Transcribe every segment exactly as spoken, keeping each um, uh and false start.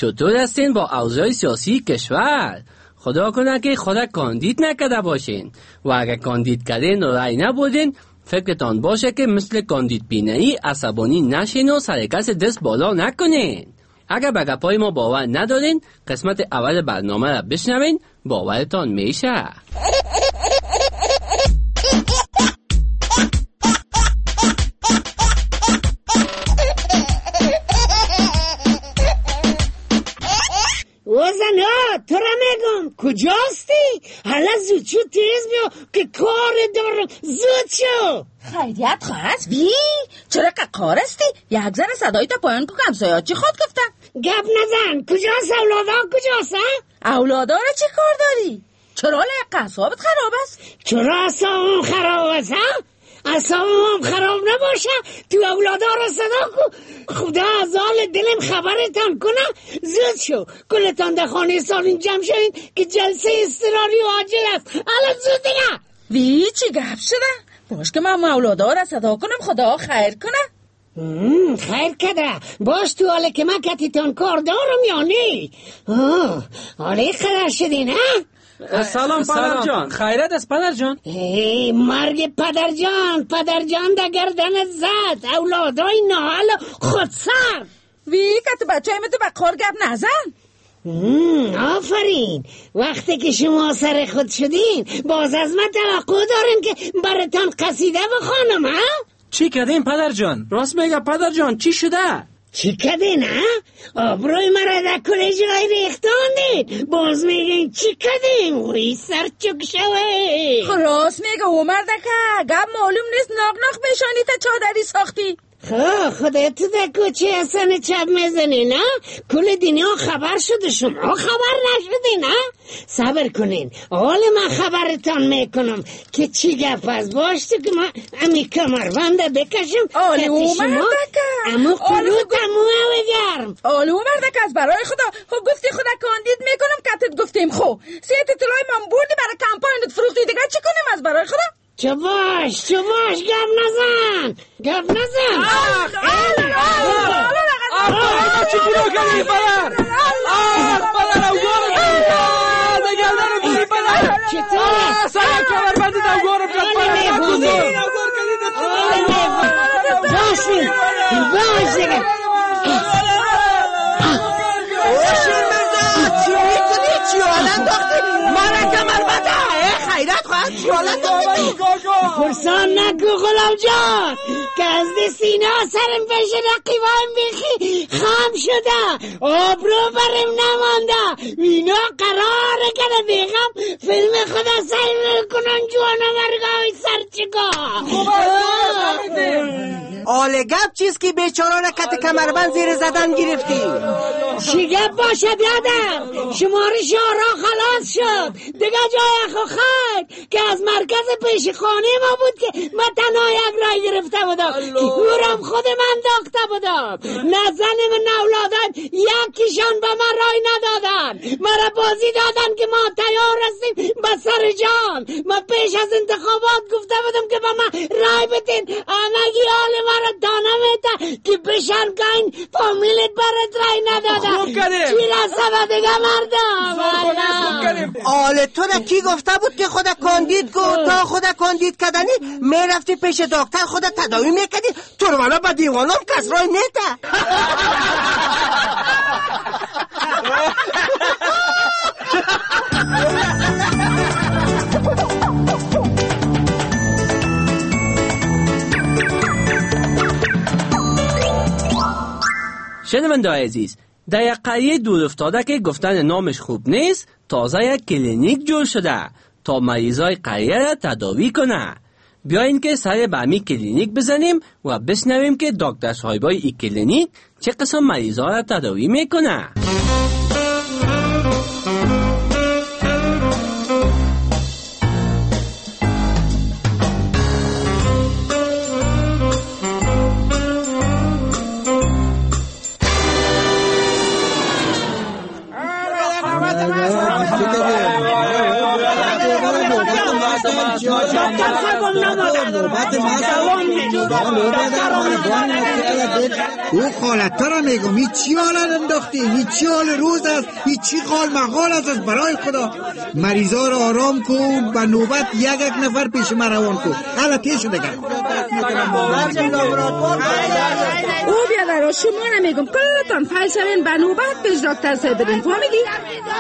چطور هستین با اوضاع سیاسی کشور؟ خدا کنه که خدا کاندید نکرده باشین و اگر کاندید کردین و رای نبودین فکرتان باشه که مثل کاندید بینایی عصبانی نشین و سر کس دست بالا نکنین. اگر به گپای ما باور ندارین قسمت اول برنامه را بشنوین، باورتان میشه. وزن ها تو را میگم کجاستی؟ حالا زود شو تیز بیا که کار دارم، زود شو. خیریت خواهد بی؟ چرا که کار هستی؟ یک ذره صدایی تا پایان که همسایه‌ها چی خود گفتن؟ گپ نزن، کجاست اولادا کجاست؟ اولادا را چی کار داری؟ چرا لایق اعصابت خراب است؟ چرا اعصابم خراب است؟ ها؟ اعصابم خراب نباشه تو اولادا را صدا کو، خدا از حال دلم خبرتان کنه. زود شو کلتان در خانه سالین جمع شوین که جلسه اضطراری و عاجل است. الان زود دیگه. وی چی گپ شده؟ باش که من اولادا را صدا کنم، خدا خیر کنه. خیر کده باش تو حاله که من کتیتان کار دارم یا نی؟ حاله خبر شدین ها؟ سلام پدر جان. خیرت است پدر جان؟ ای مرگ پدر جان، پدر جان در گردنت زد، اولادای ناهل خودسر. وی که تو بچه تو به کار گپ نزن. آفرین، وقتی که شما سر خود شدین باز از من توقع دارین که براتان قصیده بخوانم ها؟ چی کردین پدر جان؟ راست میگه پدر جان، چی شده؟ چی کردین ها؟ آبروی مرا در کل جای ریختاندین، باز میگین چی کردین؟ وی سر چک شوه. راست میگه او مردکه، گپ معلوم نیست ناق ناق پیشانی تا چادری ساختی. خب خودت تو در کوچه حسن چپ میزنی نه؟ کل دنیا خبر شده، شما خبر نشدی نه؟ صبر کنین حال من خبرتان میکنم که چی گپ است. باش تو که من امی کمربنده بکشم. آلی او مردکه امو قلوت امو گرم. آلی او مردکه از برای خدا خب گفتی خدا کاندید میکنم کتت گفتیم خو سیت اطلاعی من بردی برای کمپاینت فروختی، دیگه چی کنیم از برای خدا؟ چه باش چه باش گپ نزن گپ نزن. آخ آخ چی گناه کردی پدر؟ آخ پدر اوگارم کرد گردنم بری پدر. چطور؟ سر کمربند اوگارم کرد پدر. باشی باش دیگه. اوشین مرزا چی میکنی؟ چی حالا انداختی؟ مرا کمربنده خیرت خواهد چی حالا انداختی؟ پرسان نکو غلام جان که از دست اینا سرم پیش رقیبان بیخی خام شده، آبرو برم نمانده. اینا قراره که بیغم فیلم خدا سر کنن جوانا مرگای سرچگا. آل گپ چیز که بیچاره را کت کمربند زیر زدن گرفتی؟ چی گپ باشه بیادر؟ شمارش آرا خلاص شد دیگه، جای خو خیر که از مرکز پیش خانه ما بود که من تنها یک رای گرفته بودم که اورم خود من داخته بودم. نه زن من نه اولادم یکیشان به من رای ندادن، مرا بازی دادن که ما تیار هستیم به سر جان. من پیش از انتخابات گفته بودم که به من رای بدین، همگی حال مرا دانه میده که بشن که این فامیلت برات رای ندادن. چی رسه دیگه مردم؟ آله تو را کی گفته بود که خود کاندید کو؟ تا خود کاندید کردنی میرفتی پیش دکتر خود تداوی میکردی، تو رو والا با دیوانم کس رای میده. شنونده عزیز، در یک قریه دور افتاده که گفتن نامش خوب نیست، تازه یک کلینیک جور شده تا مریضای قریه را تداوی کنه. بیاین که سر به همی کلینیک بزنیم و بشنویم که دکتر صاحبای این کلینیک چه قسم مریضا را تداوی میکنه. دکتر صاحب نامده. او خالت را میگم این چی حالت انداختی؟ این چی حال روز است؟ این چی قال مقال است؟ از برای خدا مریضا را آرام کن، به نوبت یک یک نفر پیش من روان کن. حالا پیش دیگه. او بیادر شما نمیگم کلتان فایل شوین به نوبت پیش دکتر صاحب برین، فهمیدی؟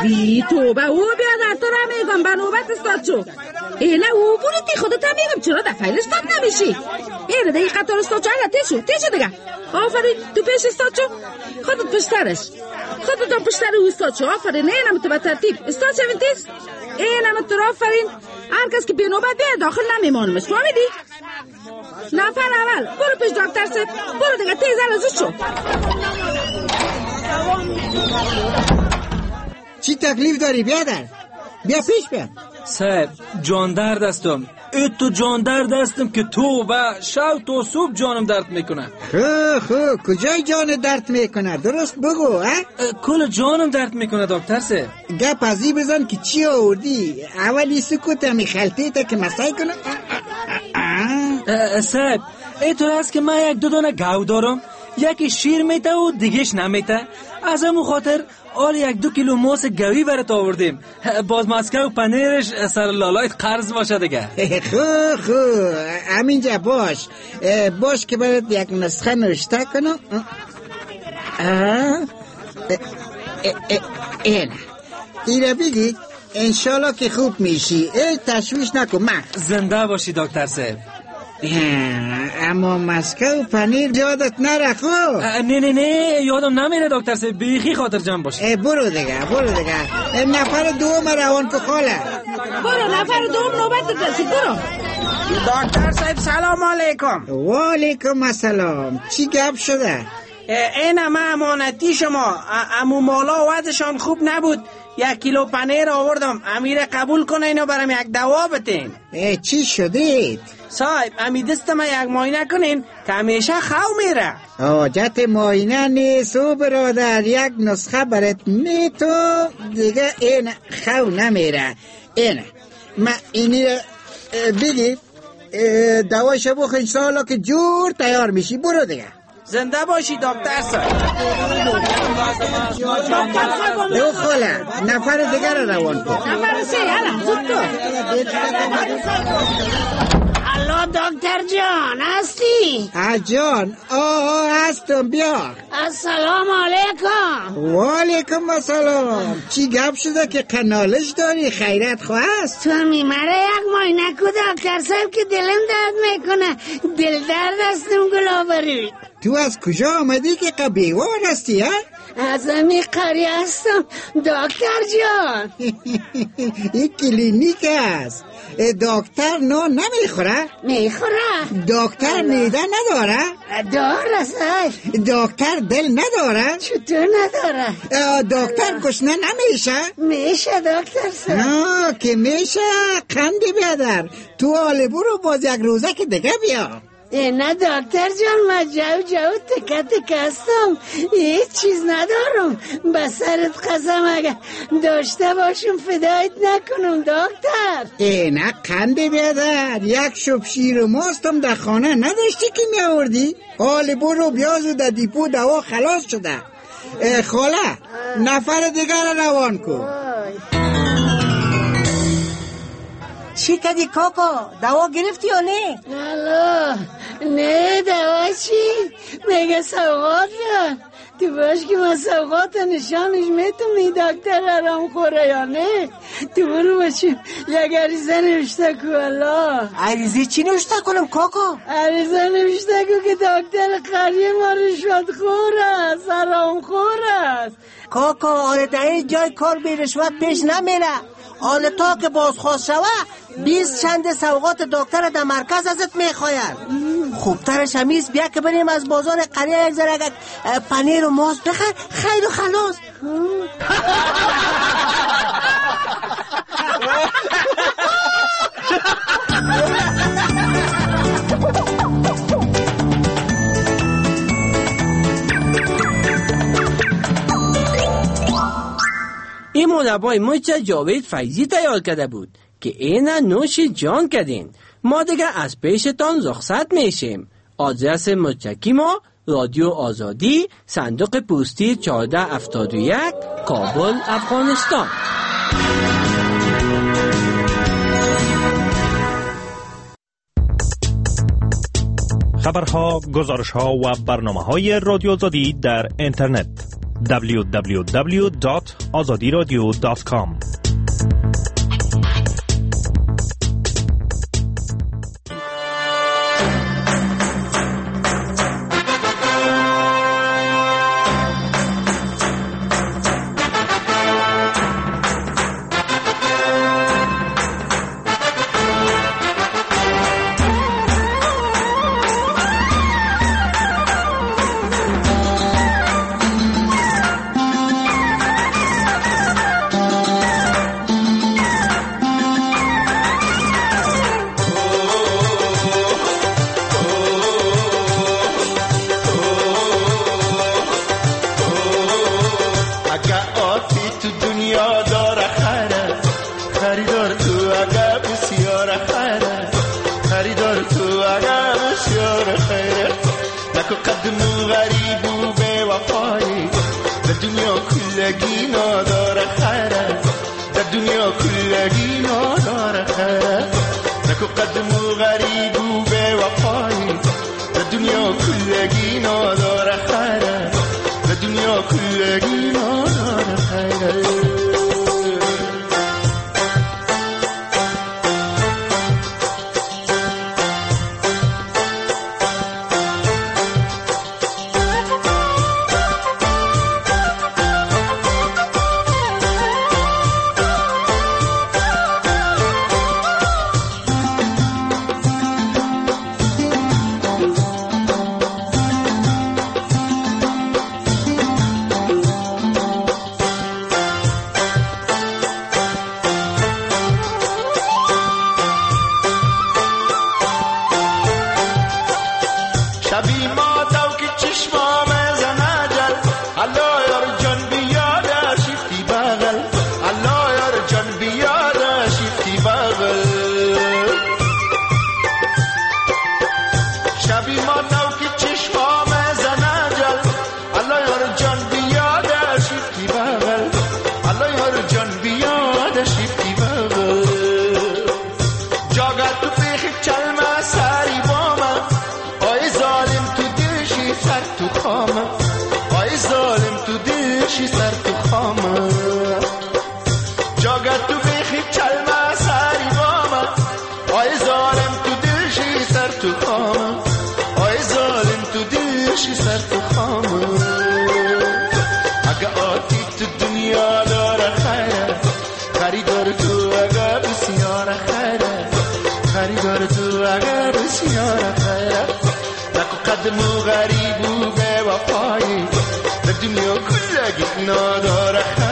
بی توبه او بیادر تو را میگم به نوبت استاد شو. اینه او بروتی خودت هم میگم چرا در فایل استاد نمیشی؟ اینه دیگه قطار استاد شو. حالا تیشو تیشو دیگه. آفرین تو پیش استاد شو، خودت پشترش، خودت هم پشتر او استاد شو. آفرین اینم تو به ترتیب استاد شوین تیز. اینم تو آفرین. هر کس که به نوبت بیاد داخل نمیمانمش، فهمیدی؟ نفر اول برو پیش دکتر صاحب، برو دیگه تیز زود شو. چی تکلیف داری بیادر؟ بیا پیش بیا. صاحب جان درد هستم، ای تو جان درد هستم که تو و شب تو صبح جانم درد میکنه. خو خو کجای جان درد میکنه؟ درست بگو. ها کل جانم درد میکنه دکتر صاحب. گپ ازی بزن که چی آوردی. اولی سکوت همی خلطه تا که مسای کنه. صاحب ای تو هست که من یک دو دانه گاو دارم، یکی شیر میته و دیگهش نمیته. از همون خاطر آل یک دو کیلو ماس گوی برات آوردیم، باز مسکه و پنیرش سر لالایت قرض باشه دیگه. خو خو همینجا باش باش که برات یک نسخه نوشته کنم. اینه ایره بگی انشالله که خوب میشی، ای تشویش نکن. من زنده باشی دکتر صاحب. اما مسکه و پنیر یادت نره خو؟ نه نه نه یادم نمیره دکتر صاحب، بیخی خاطر جمع باشه. برو دیگه برو دیگه. نفر دوم روان که خاله. برو نفر دوم نوبت رسید، برو. دکتر صاحب سلام علیکم. و علیکم السلام. چی گپ شده؟ این همه امانتی شما، امو مالا وضعشان خوب نبود، یک کیلو پنیر آوردم، امیر قبول کنه اینو برام یک دوا بتین. چی شدید؟ صاحب امی دست ما یک معاینه کنین که همیشه خو میره. حاجت معاینه نیست او برادر، یک نسخه برات میتو دیگه این خو نمیره. اینه ما اینی بگی دوایش بخور انشاءالله که جور تیار میشی. برو دیگه. زنده باشی دکتر صاحب. دو خاله نفر دیگر رو روان کن. نفر سه یالا زود تو. الو دکتر جان هستی؟ جان آه هستم بیا. السلام علیکم. و علیکم السلام. چی گپ شده که قنالش داری؟ خیرت خواه است؟ تو میمره یک ماینه کو دکتر صاحب که دلم درد میکنه، دل درد هستم گلابری. تو از کجا آمدی که قبیوار هستی ها؟ از امی قریه هستم دکتر جان. این کلینیک است. دکتر نان نمیخوره؟ میخوره. دکتر میده نداره؟ داره صاحب. دکتر دل نداره؟ چطور نداره؟ دکتر گشنه نمیشه؟ میشه دکتر صاحب. نه که میشه. قندی بیادر تو حال برو باز یک روزه که دیگه بیا. نه دکتر جان من جو جو تکه تکه هستم، هیچ چیز ندارم، به سرت قسم اگر داشته باشم فدایت نکنم دکتر. ای نه قند بیادر، یک شب شیر و ماستم در خانه نداشتی که می آوردی؟ حال برو بیاز و در دیپو دوا خلاص شده. خاله نفر دیگر روان کن. چی کدی کاکا؟ دوا گرفتی یا نه؟ الو نه دوا چی؟ میگه سوغات بیار. تو باش که من سوغات نشانش میتونم این دکتر حرام خوره یا نه؟ تو برو باشیم یک عریضه نوشته کو. الله عریضه چی نوشته کنم کاکا؟ عریضه نوشته کو که دکتر قریه ما رشوت خور است، حرام خور است. کاکا آره در این جای کار بی رشوت پیش نمیره. آن تا که بازخواست شوه بیست چند سوغات دکتر در مرکز ازت میخواین. خوبترش همیست بیا که بریم از بازار قریه یک ذره پنیر و ماست بخر، خیر و خلاص. این مربای ما چه جاوید فیضی تیار کرده بود که اینا نوش جان کردین. ما دیگه از پیشتان رخصت میشیم. آدرس متکی ما رادیو آزادی، صندوق پستی چهارده هفتاد و یک، کابل، افغانستان. خبرها، گزارشها و برنامه‌های رادیو آزادی در اینترنت دبلیو دبلیو دبلیو دات آزادی رادیو دات کام. غریب و به وفایی در دنیا کلگی نداره.